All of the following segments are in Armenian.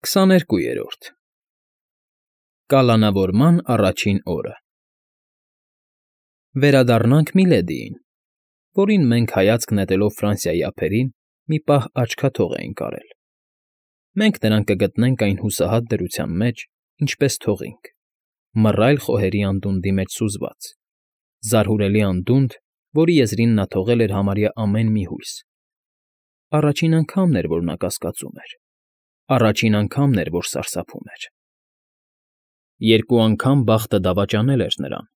22-րդ Կալանավորման առաջին օրը Վերադառնանք Միլեդիին, որին մենք, հայացք նետելով Ֆրանսիայի ափերին, մի պահ աչքաթող էինք արել։ Մենք նրան կգտնենք այն հուսահատ դրության մեջ, ինչպես թողինք, մռայլ խոհերի անդունդի մեջ սուզված, զարհուրելի անդունդ, որի եզրին նա թողել էր համարյա ամեն մի հույս։ Առաջին անգամն էր, որ նա կասկածում էր, առաջին անգամն էր, որ սարսափում էր։ Երկու անգամ բախտը դավաճանել էր նրան,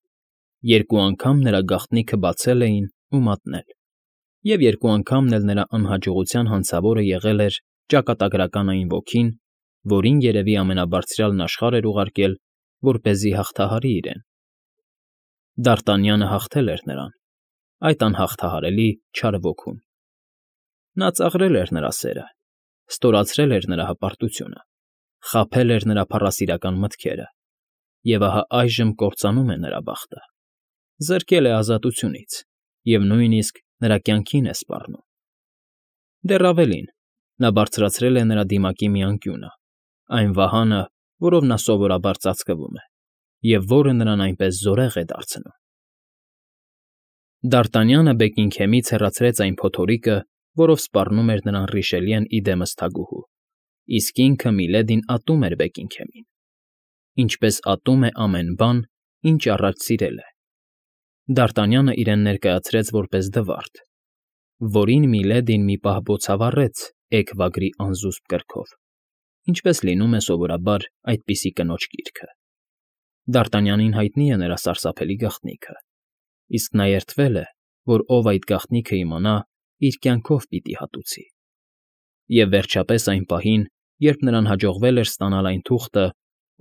երկու անգամ նրա գաղտնիքը բացել էին ու մատնել, և երկու անգամն էլ նրա անհաջողության հանցավորը եղել էր ճակատագրական այն ոգին, որին երևի ամենաբարձրյալն աշխարհ էր ուղարկել, որպեսզի հաղթահարի իրեն։ Դարտանյանը հաղթել էր նրան, այդ անհաղթահարելի չար ոգուն։ Նա ծաղրել էր նրա սերը, ստորացրել էր նրա հպարտությունը, խաբել էր նրա փառասիրական մտքերը, և ահա այժմ կործանում է նրա բախտը, զրկել է ազատությունից և նույնիսկ նրա կյանքին է սպառնում։ Դեռ ավելին, նա բարձրացրել է նրա դիմակի մի անկյունը, այն վահանը, որով նա սովորաբար ծածկվում է, և որը նրան այնպես զորեղ է դարձնում։ Դարտանյանը Բեքինգհեմից հեռացրեց այն փոթորիկը, որով սպառնում էր նրան Ռիշելիեն ի դեմս թագուհու, իսկ ինքը Միլեդին ատում էր Բեքինգհեմին, ինչպես ատում է ամեն բան, ինչ առաջ սիրել է։ Դարտանյանը իրեն ներկայացրեց որպես դվարդ, որին Միլեդին մի պահ բոցավառեց էգ֊վագրի անզուսպ կրքով, ինչպես լինում է սովորաբար այդպիսի կնոջ գիրքը։ Դարտանյանին հայտնի է նրա սարսափելի գաղտնիքը, իսկ նա երդվել է, որ ով այդ գաղտնիքը իմանա, իր կյանքով պիտի հատուցի։ Եվ վերջապես այն պահին, երբ նրան հաջողվել էր ստանալ այն թուղթը,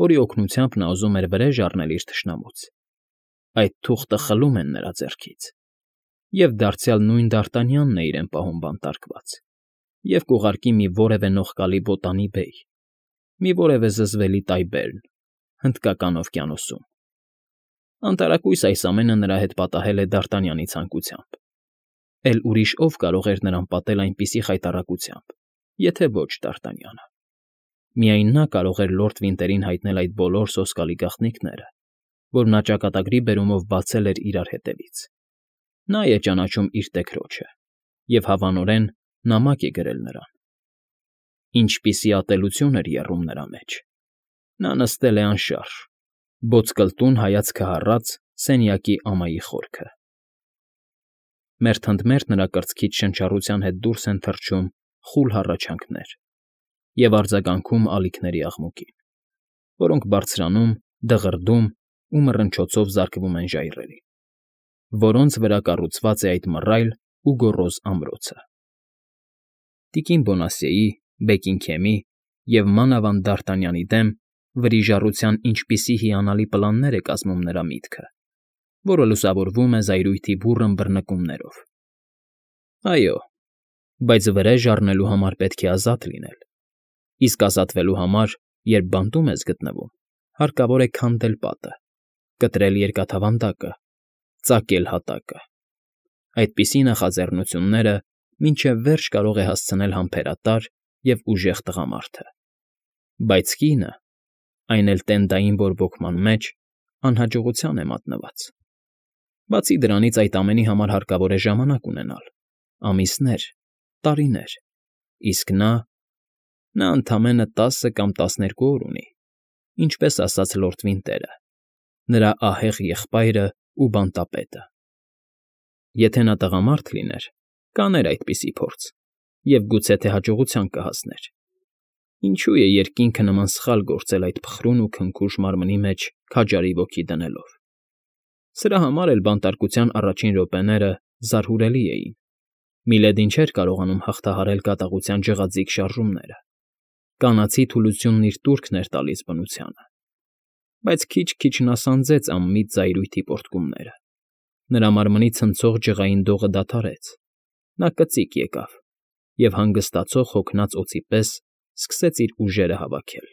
որի օգնությամբ նա ուզում էր վրեժ առնել իր թշնամուց, այդ թուղթը խլում են նրա ձեռքից, և դարձյալ նույն Դարտանյանն է իրեն պահում բանտարկված, և կուղարկի մի որևէ նողկալի բոտանի բեյ, մի որևէ զզվելի տայբերն, հնդկական օվկիանոսում։ Անտարակույս այս ամենը նրա հետ պատահել է Դարտանյանի ցանկությամբ, էլ ուրիշ ով կարող էր նրան պատել այնպիսի խայտառակությամբ, եթե ոչ Դարտանյանը։ Միայն նա կարող էր լորդ Վինտերին հայտնել այդ բոլոր սոսկալի գաղտնիքները, որ նա ճակատագրի բերումով բացել էր իրար հետևից։ Նա է ճանաչում իր տեկրոջը, և հավանորեն նամակ է գրել նրան։ Ինչպիսի ատելություն էր եռում նրա մեջ։ Նա նստել է անշարժ, ոտկլտուն հայացքը հառած սենյակի ամայի խորքը։ Մերթընդմերթ նրա կրծքից շնչառության հետ դուրս են թռչում խուլ հառաչանքներ և արձագանքում ալիքների աղմուկին, որոնք բարձրանում, դղրդում ու մռնչոցով զարկվում են ժայռերին, որոնց վրա կառուցված է այդ մռայլ ու գոռոզ ամրոցը։ Տիկին Բոնասիեի, Բեկինգհեմի և մանավանդ Դարտանյանի դեմ վրիժառության ինչպիսի հիանալի պլաններ է կազմում նրա միտքը, որը լուսավորվում է զայրույթի բուռն բռնկումներով։ Այո, բայց վրեժ առնելու համար պետք է ազատ լինել, իսկ ազատվելու համար, երբ բանտում ես գտնվում, հարկավոր է քանդել պատը, կտրել երկաթավանդակը, ծակել հատակը։ Այդպիսի նախաձեռնությունները մինչև վերջ կարող է հասցնել համբերատար և ուժեղ տղամարդը, բայց կինը, այն էլ տենդային բորբոքման մեջ, անհաջողության է մատնված։ Բացի դրանից այդ ամենի համար հարկավոր է ժամանակ ունենալ, ամիսներ, տարիներ, իսկ նա ընդամենը 10 կամ 12 օր ունի, ինչպես ասաց լորդ Վինտերը, նրա ահեղ եղբայրը ու բանտապետը։ Եթե նա տղամարդ լիներ, կաներ այդպիսի փորձ և գուցե թե հաջողության կհասներ։ Ինչու է երկինքը նման սխալ գործել այդ փխրուն ու քնքուշ մարմնի մեջ քաջարի ոգի դնելով։ Սրա համար էլ բանտարկության առաջին րոպեները զարհուրելի էին։ Միլեդին չէր կարողանում հաղթահարել կատաղության ջղաձիգ շարժումները։ Կանացի թուլությունն իր տուրքն էր տալիս բնությանը։ Բայց քիչ-քիչ նա սանձեց անմիտ զայրույթի պոռթկումները։ Նրա մարմնի ցնցող ջղային դողը դադարեց։ Նա կծիկ եկավ և հանգստացող հոգնած օձի պես սկսեց իր ուժերը հավաքել։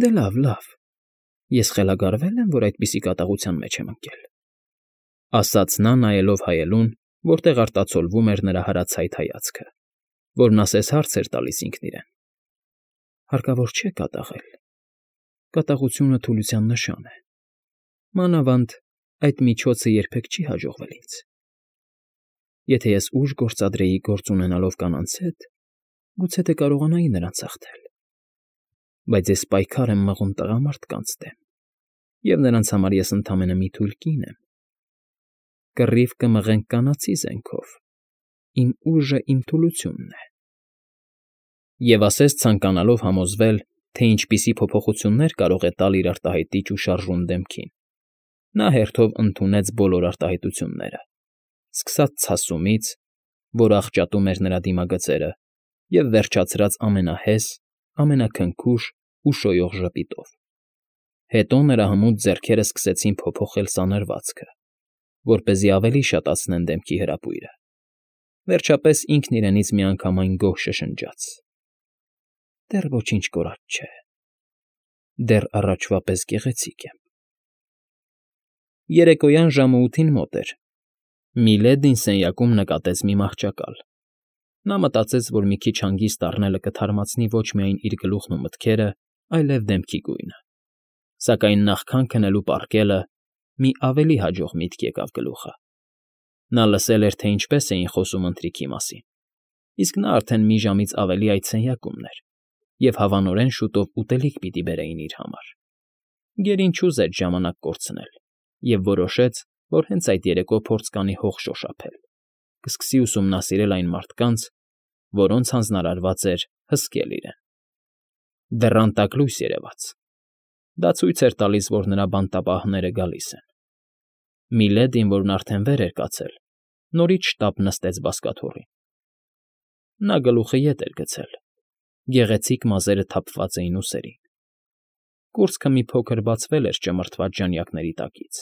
Դե լավ, ես խելագարվե՞լ եմ, որ այդպիսի կատաղության մեջ եմ ընկել, ասաց նա, նայելով հայելուն, որտեղ արտացոլվում էր նրա հրացայտ հայացքը, որն ասես հարց էր տալիս ինքն իրեն։ Հարկավոր չէ կատաղել։ Կատաղությունը թուլության նշան է։ Մանավանդ այդ միջոցը երբեք չի հաջողվել ինձ։ Եթե ես ուժ գործադրեի գործ ունենալով կանանց հետ, գուցե թե կարողանայի նրանց հաղթել։ Բայց ես պայքար եմ մղում տղամարդկանց դեմ, և նրանց համար ես ընդամենը մի թույլ կին եմ։ Կռիվ կմղենք կանացի զենքով, իմ ուժը իմ թուլությունն է։ Եվ ասես ցանկանալով համոզվել, թե ինչպիսի փոփոխություններ կարող է տալ իր արտահայտիչ ու շարժուն դեմքին, նա հերթով ընդունեց բոլոր արտահայտությունները, սկսած ցասումից, որ աղճատում էր նրա դիմագծերը, և վերջացրած ամենահես, ամենաքնքուշ ու շոյող ժպիտով։ Հետո նրա հմուտ ձեռքերը սկսեցին փոփոխել սանրվածքը, որպեսզի ավելի շատացնեն դեմքի հրապույրը։ Վերջապես ինքն իրենից միանգամայն գոհ շշնջաց. «Դեռ ոչինչ կորած չէ, դեռ առաջվա պես գեղեցիկ եմ»։ Երեկոյան ժամը 8-ին մոտ էր։ Միլեդին սենյակում նկատեց մի մահճակալ։ Նա մտածեց, որ մի քիչ հանգիստ առնելը կթարմացնի ոչ միայն իր գլուխն ու մտքերը, այլև դեմքի գույնը։ Սակայն նախքան քնելու պառկելը մի ավելի հաջող միտք եկավ գլուխը։ Նա լսել էր, թե ինչպես էին խոսում ընթրիքի մասին, իսկ նա արդեն մի ժամից ավելի այդ սենյակումն էր, և հավանորեն շուտով ուտելիք պիտի բերեին իր համար։ Գերին չուզեց ժամանակ կորցնել և որոշեց, որ հենց այդ երեկո փորձ կանի հող շոշափել, կսկսի ուսումնասիրել այն մարդկանց, որոնց հանձնարարված էր հսկել իրեն։ Դռան տակ լույս երևաց։ Դա ցույց էր տալիս, որ նրա բանտապահները գալիս են։ Միլեդին, որն արդեն վեր էր կացել, նորից շտապ նստեց բազկաթոռին։ Նա գլուխը ետ էր գցել, գեղեցիկ մազերը թափված էին ուսերին։ Կուրծքը մի փոքր բացվել էր ճմրթված ժանյակների տակից։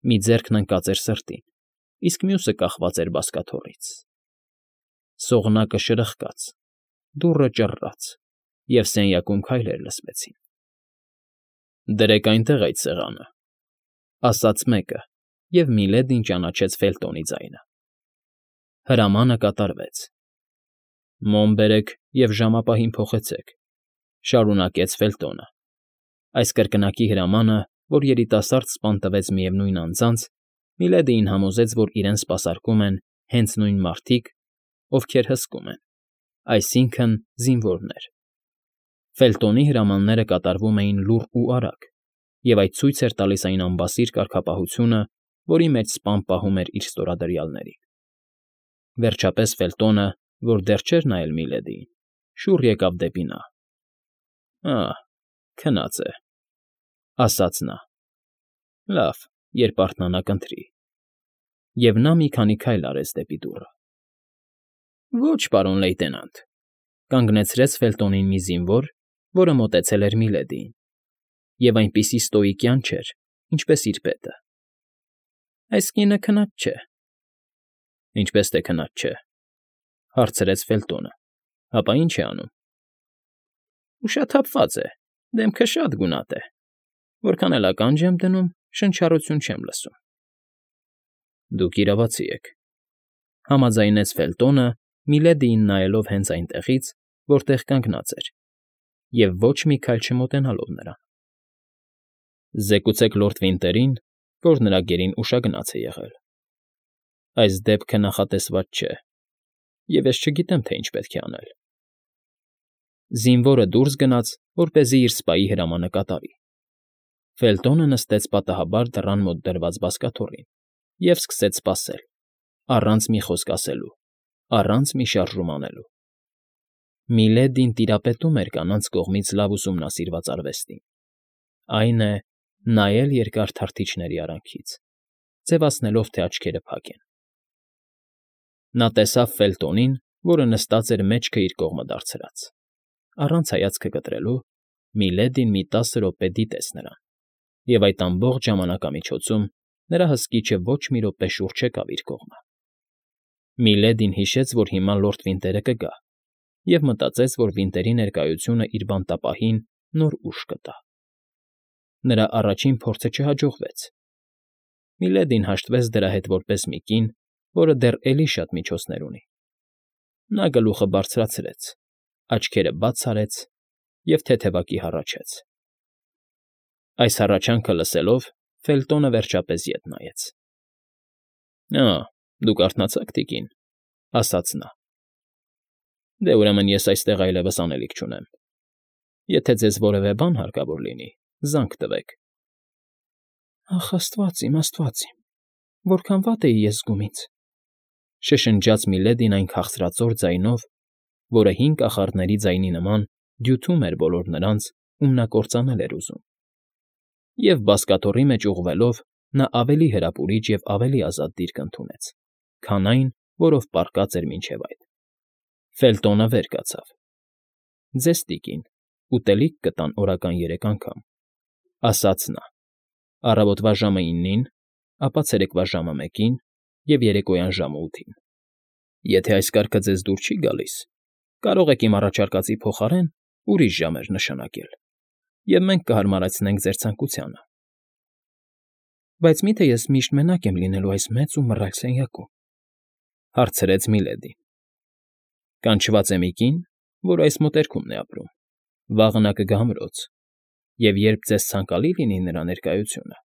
Մի ձեռքն ընկած էր սրտին, իսկ մյուսը կախված էր բազկաթոռից։ Սողնակը շրխկաց, դուռը ճռռաց, և սենյակում քայլեր լսվեցին։ «Դրեք այնտեղ այդ սեղանը», ֊ ասաց մեկը, և Միլեդին ճանաչեց Ֆելտոնի ձայնը։ Հրամանը կատարվեց։ «Մոմ բերեք և ժամապահին փոխեցեք», ֊ շարունակեց Ֆելտոնը։ Այս կրկնակի հրամանը, որ երիտասարդ սպան տվեց միևնույն անձանց, Միլեդիին համոզեց, որ իրեն սպասարկում են հենց նույն մարդիկ, ովքեր հսկում են, այսինքն՝ զինվորներ։ Ֆելտոնի հրամանները կատարվում էին լուռ ու արագ, և այդ ցույց էր տալիս այն անբասիր կարգապահությունը, որի մեջ սպան պահում էր իր ստորադրյալներին։ Վերջապես Ֆելտոնը, որ դեռ չէր նայել Միլեդիին, շուռ եկավ դեպի նա։ «Ահ, քնած է», ֊ ասաց նա։ «Լավ, երբ արթնանա կընթրի»։ Եվ նա մի քանի քայլ արեց դեպի դուռը։ «Ոչ, պարոն լեյտենանտ», ֊ կանգնեցրեց Ֆելտոնին մի զինվոր, որը մոտեցել էր Միլեդիին, և այնպիսի ստոիկյան չէր, ինչպես իր պետը։ «Այս կինը քնած չէ»։ «Ինչպես թե քնած չէ,֊ հարցրեց Ֆելտոնը,֊ հապա ի՞նչ է անում»։ «Ուշաթափված է, դեմքը շատ գունատ է։ Որքան էլ ականջ եմ դնում, շնչառություն չեմ լսում»։ «Դուք իրավացի եք,֊ համաձայնեց Ֆելտոնը, Միլեդիին նայելով հենց այնտեղից, որտեղ կանգնած էր, և ոչ մի քայլ չմոտենալով նրան։ «Զեկուցեք լորդ Վինտերին, որ նրա գերին ուշագնաց է եղել։ Այս դեպքը նախատեսված չէ, և ես չգիտեմ, թե ինչ պետք է անել»։ Զինվորը դուրս գնաց, որպեսզի իր սպայի հրամանը կատարի։ Ֆելտոնը նստեց պատահաբար դռան մոտ դրված բազկաթոռին և սկսեց սպասել, առանց մի խոսք ասելու, առանց մի շարժում անելու։ Միլեդին տիրապետում էր կանանց կողմից լավ ուսումնասիրված արվեստին, այն է, նայել երկար թարթիչների արանքից, ձևացնելով, թե աչքերը փակ են։ Նա տեսավ Ֆելտոնին, որը նստած էր մեջքը իր կողմը դարձրած։ Առանց հայացքը կտրելու Միլեդին մի 10 րոպե դիտեց նրան, և այդ ամբողջ ժամանակամիջոցում նրա հսկիչը ոչ մի րոպե շուռ չեկավ իր կողմը։ Միլեդին հիշեց, որ հիմա լորդ Վինտերը կգա, և մտածեց, որ Վինտերի ներկայությունը իր բանտապահին նոր ուժ կտա։ Նրա առաջին փորձը չհաջողվեց։ Միլեդին հաշտվեց դրա հետ որպես մի կին, որը դեռ էլի շատ միջոցներ ունի։ Նա գլուխը բարձրացրեց, աչքերը բաց արեց և թեթևակի հառաչեց։ Այս հառաչանքը լսելով Ֆելտոնը վերջապես ետ նայեց։ ֊ Դուք արթնացաք, թիկին, ֊ ասաց նա։ ֊ Դե, ուրեմն ես այստեղ այլևս անելիք չունեմ։ Եթե ձեզ որևէ բան հարկավոր լինի, զանգ տվեք։ ֊ Ախ, աստված իմ, որքան վատ էի ես զգում ինձ, ֊ շշնջաց Միլեդին այն քաղցրածոր ձայնով, որը հին կախարդների ձայնի նման դյութում էր բոլոր նրանց, ում նա կործանել էր ուզում։ Եվ բազկաթոռի մեջ ուղղվելով նա ավելի հրապուրիչ և ավելի ազատ դիրք ընդունեց, քան այն, որով պառկած էր մինչև այդ։ Ֆելտոնը վեր կացավ։ ֊ Ձեզ, տիկին, ուտելիք կտան օրական 3 անգամ, ֊ ասաց նա, ֊ առավոտվա ժամը 9-ին, ապա ցերեկվա ժամը 1-ին և երեկոյան ժամը 8-ին։ Եթե այս կարգը ձեզ դուր չի գալիս, կարող եք իմ առաջարկածի փոխարեն ուրիշ ժամեր նշանակել, և մենք կհարմարեցնենք ձեր ցանկությանը։ ֊ Բայց մի՞թե ես միշտ մենակ եմ լինելու այս մեծ ու մռայլ սենյակում, ֊ հարցրեց Միլեդին։ ֊ Կանչված է մի կին, որ այս մոտերքումն է ապրում, վաղը նա կգա ամրոց, և երբ ձեզ ցանկալի լինի նրա ներկայությունը,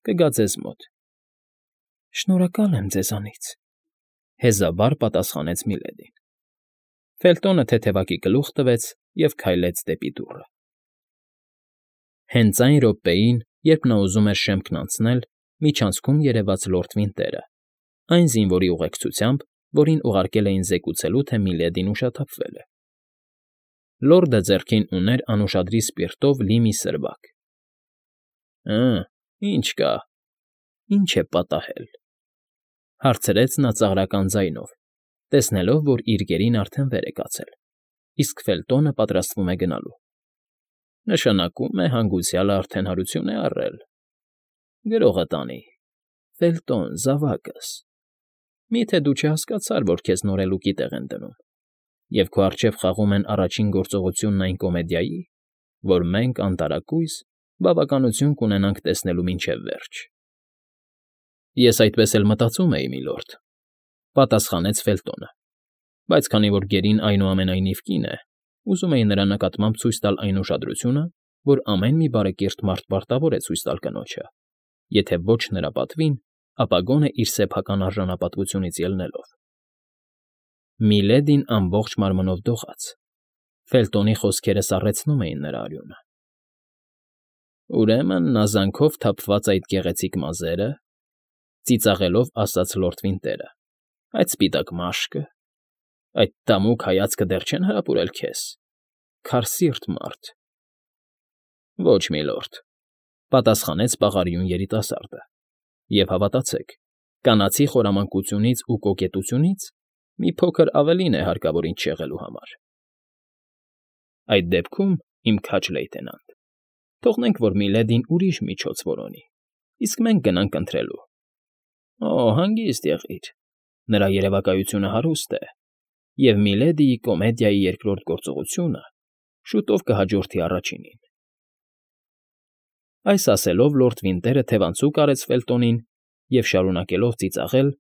կգա ձեզ մոտ։ ֊ Շնորհակալ եմ ձեզանից, ֊ հեզաբար պատասխանեց Միլեդին։ Ֆելտոնը թեթևակի գլուխ տվեց և քայլեց դեպի դուռը։ Հենց այն րոպեին, երբ նա ուզում էր շեմքն անցնել, միջանցքում երևաց լորդ Վինտերը, այն զինվորի ուղեկցությամբ, որին ուղարկել էին զեկուցելու, թե Միլեդին ուշաթափվել է։ Լորդը ձեռքին ուներ անուշադրի սպիրտով լի մի սրվակ։ ֊ Ի՞նչ կա, ի՞նչ է պատահել, ֊ հարցրեց նա ծաղրական ձայնով, տեսնելով, որ իր գերին արդեն վեր է կացել, իսկ Ֆելտոնը պատրաստվում է գնալու։ ֊ Նշանակում է հանգուցյալը արդեն հարություն է առել։ Գրողը տանի, Ֆելտոն, զավակս, մի՞թե դու չհասկացար, որ քեզ նորելուկի տեղ են դնում, և քո առջև խաղում են առաջին գործողությունն այն կոմեդիայի, որ մենք, անտարակույս, բավականություն կունենանք տեսնելու մինչև վերջ։ ֊ Ես այդպես էլ մտածում էի, միլորդ, ֊ պատասխանեց Ֆելտոնը, բայց քանի որ գերին այնուամենայնիվ կին է, ուզում էի նրա նկատմամբ ցույց տալ այն ուշադրությունը, որ ամեն մի բարեկիրթ մարդ պարտավոր է ցույց տալ կնոջը, եթե ոչ նրա պատվին, ապա գոնե իր սեփական արժանապատվությունից ելնելով։ Միլեդին ամբողջ մարմնով դողաց։ Ֆելտոնի խոսքերը սառեցնում էին նրա արյունը։ ֊ Ուրեմն նա զանքով թափված այդ գեղեցիկ մազերը, ֊ ծիծաղելով ասաց լորդ Վինտերը, ֊ այդ սպիտակ մաշկը, այդ տամուկ հայացքը դեռ չեն հրապուրել քեզ, քարսիրտ մարդ։ ֊ Ոչ, միլորդ, ֊ պատասխանեց պաղարիուն երիտասարդը, ֊ և հավատացեք, կանացի խորամանկությունից ու կոկետությունից մի փոքր ավելին է հարկավոր ինձ շեղելու համար։ ֊ Այդ դեպքում, իմ քաջ լեյտենանտ, թողնենք, որ Միլեդին ուրիշ միջոց որոնի, իսկ մենք գնանք ընթրելու։ Օ, հանգիստ եղիր, նրա երևակայությունը հարուստ է, և Միլեդիի կոմեդիայի երկրորդ գործողությունը շուտով կհաջորդի առաջինին։ Այս ասելով լորդ Վինտերը թևանցուկ արեց Ֆելտոնին և, շարունակելով ծիծաղել,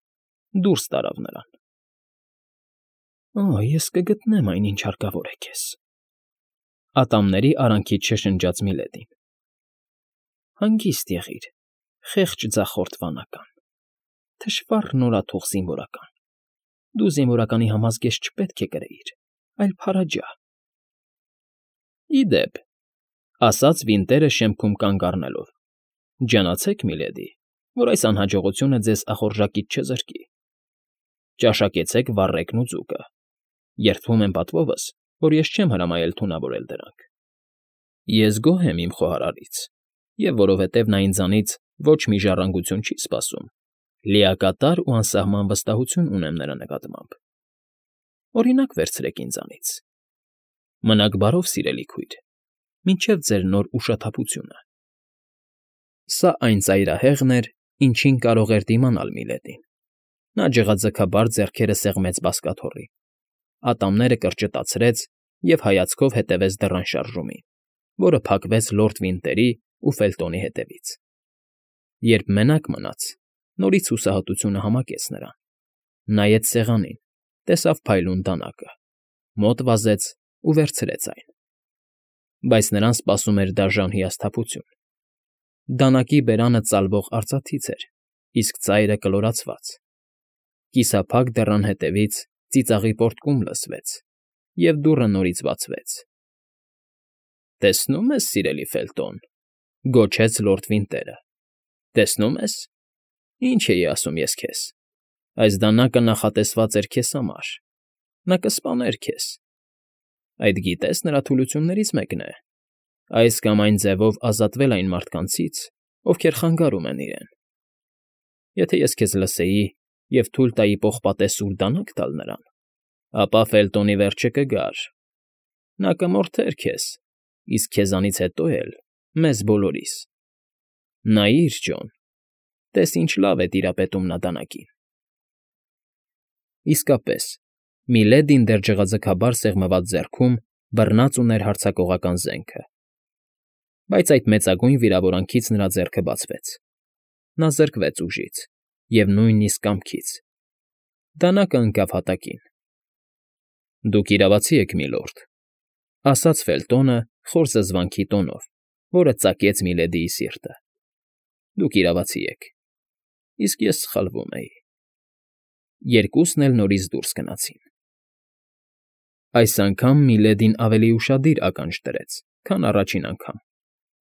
դուրս տարավ նրան։ ֊ Օ, ես կգտնեմ այն, ինչ հարկավոր է քեզ, ֊ ատամների արանքից շշնջաց Միլեդին։ ֊ Հանգիստ եղիր, խեղճ ձախորդ վանական, թշվառ նորաթուխ զինվորական, դու զինվորականի համազգեստ չպետք է կրեիր, այլ փարաջա։ ֊ Ի դեպ, ֊ ասաց Վինտերը շեմքում կանգ առնելով, ֊ ջանացեք, միլեդի, որ այս անհաջողությունը ձեզ ախորժակից չզրկի։ Ճաշակեցեք վառեկն ու ձուկը։ Երդվում եմ պատվովս, որ ես չեմ հրամայել թունավորել դրանք։ Ես գոհ եմ իմ խոհարարից, և որովհետև նա ինձանից ոչ մի ժառանգություն չի սպասում, լիակատար ու անսահման վստահություն ունեմ նրա նկատմամբ։ Օրինակ վերցրեք ինձանից։ Մնաք բարով, սիրելի քույր, մինչև ձեր նոր ուշաթափությունը։ Սա այն ծայրահեղն էր, ինչին կարող էր դիմանալ Միլեդին։ Նա ջղաձգաբար ձեռքերը սեղմեց բազկաթոռին, ատամները կրճտացրեց և հայացքով հետևեց դռան շարժումին, որը փակվեց լորդ Վինտերի ու Ֆելտոնի հետևից։ Երբ մենակ մնաց, նորից հուսահատությունը համակեց նրան, նայեց սեղանին, տեսավ փայլուն դանակը, մոտ վազեց ու վերցրեց այն։ բայց նրան սպասում էր դաժան հիասթափություն։ Դանակի բերանը ծալվող արծաթից էր, իսկ ծայրը կլորացված։ Կիսափակ դռան հետևից ծիծաղի պոռթկում լսվեց, և դուռը նորից բացվեց։ ֊ Տեսնո՞ւմ ես, սիրելի Ֆելտոն,֊ գոչեց լորդ Վինտերը։֊ Տեսնո՞ւմ ես։ Ինչ էի ասում ես քեզ. այս դանակը նախատեսված էր քեզ համար, նա կսպաներ քեզ։ Այդ գիտես, նրա թուլություններից մեկն է այս կամ այն ձևով ազատվել այն մարդկանցից, ովքեր խանգարում են իրեն։ Եթե ես քեզ լսեի և թույլ տայի պողպատե սուր դանակ տալ նրան, ապա Ֆելտոնի վերջը կգար. նա կմորթեր քեզ, իսկ քեզանից հետո էլ՝ մեզ բոլորիս։ Նայիր, Ջոն, տես ինչ լավ է տիրապետում նա դանակին։ Իսկապես, Միլեդին դեռ ջղաձգաբար սեղմված ձեռքում բռնած ուներ հարձակողական զենքը։ Բայց այդ մեծագույն վիրավորանքից նրա ձեռքը բացվեց։ Նա զրկվեց ուժից և նույնիսկ կամքից։ Դանակը ընկավ հատակին։ ֊ Դուք իրավացի եք, միլորդ,֊ ասաց Ֆելտոնը խոր զզվանքի տոնով, որը ծակեց Միլեդիի սիրտը։ Դուք իրավացի եք, իսկ ես սխալվում էի։ Երկուսն էլ նորից դուրս գնացին։ Այս անգամ Միլեդին ավելի ուշադիր ականջ դրեց, քան առաջին անգամ,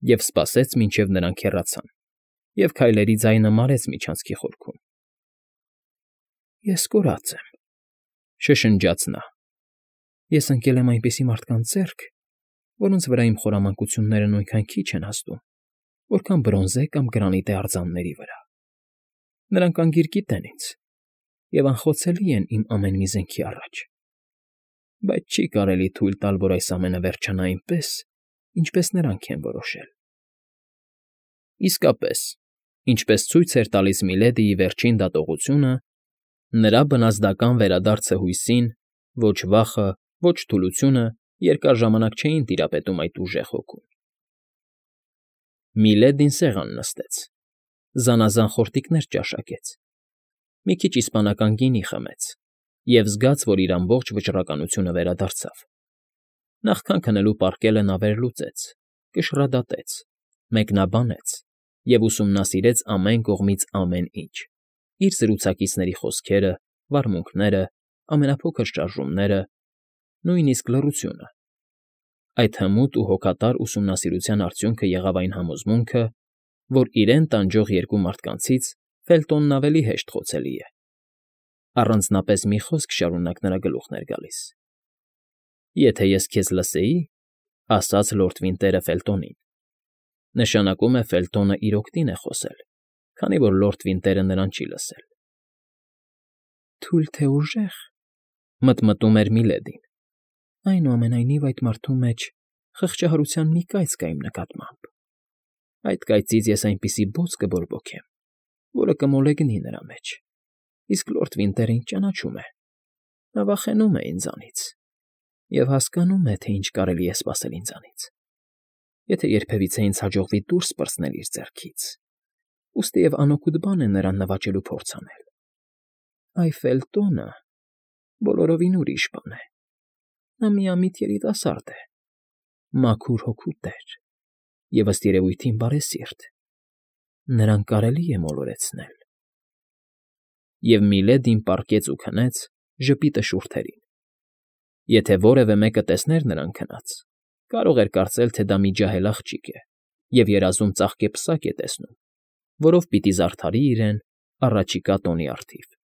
և սպասեց, մինչև նրանք հեռացան, և քայլերի ձայնը մարեց միջանցքի խորքում։ Ես կորած եմ,֊ շշնջաց նա։ Ես ընկել եմ այնպիսի մարդկանց ձեռք, որոնց վրա իմ խորամանկությունները նույնքան քիչ են հասնում, որքան բրոնզե կամ գրանիտե արձանների վրա։ Նրանք անգիր գիտեն ինձ և անխոցելի են իմ ամեն մի զենքի առաջ։ Բայց չի կարելի թույլ տալ, որ այս ամենը վերջանա այնպես, ինչպես նրանք են որոշել։ Իսկապես, ինչպես ցույց էր տալիս Միլեդիի վերջին դատողությունը, նրա բնազդական վերադարձը հույսին, ոչ վախը, ոչ թուլությունը երկար ժամանակ չէին տիրապետում այդ ուժեղ հոգուն։ Միլեդին սեղան նստեց, զանազան խորտիկներ ճաշակեց, մի քիչ իսպանական գինի խմեց և զգաց, որ իր ամբողջ վճռականությունը վերադարձավ։ Նախքան քնելու պարկելը նա վերլուծեց, կշռադատեց, մեկնաբանեց և ուսումնասիրեց ամեն կողմից ամեն ինչ՝ իր զրուցակիցների խոսքերը, վարմունքները, ամենափոքր շարժումները, նույնիսկ լռությունը։ Այդ հմուտ ու հոգատար ուսումնասիրության արդյունքը եղավ այն համոզմունքը, որ իրեն տանջող երկու մարդկանցից Ֆելտոնն ավելի հեշտ խոցելի է։ Առանձնապես մի խոսք շարունակ նրա գլուխն էր գալիս։ «Եթե ես քեզ լսեի,֊ ասաց լորդ Վինտերը Ֆելտոնին,֊ նշանակում է Ֆելտոնը իր օգտին է խոսել, քանի որ լորդ Վինտերը նրան չի լսել»։ «Թույլ թե ուժեղ,֊ մտմտում էր Միլեդին,֊ այնուամենայնիվ այդ մարդու մեջ խղճահարության մի կայծ կա իմ նկատմամբ։ Այդ կայծից ես այնպիսի բոծ կբորբոքեմ, որը կմոլեգնի նրա մեջ, իսկ լորդ Վինտերը ինձ ճանաչում է, նա վախենում է ինձանից և հասկանում է, թե ինչ կարելի է սպասել ինձանից, եթե երբևիցե ինձ հաջողվի դուրս պրծնել իր ձեռքից, ուստիև անօգուտ բան է նրան նվաճելու փորձ անել։ Այ Ֆելտոնը բոլորովին ուրիշ բան է։ Նա միամիտ երիտասարդ է, մաքուր հոգու տեր և, ըստ երևույթին, բարեսիրտ։ Նրան կարելի է մոլորեցնել։ Եվ Միլեդին պառկեց ու քնեց ժպիտը շուրթերին։ Եթե որևէ մեկը տեսներ նրան քնած, կարող էր կարծել, թե դա մի ջահել աղջիկ է և երազում ծաղկեպսակ է տեսնում, որով պիտի զարդարի իրեն առաջիկա տոնի առթիվ։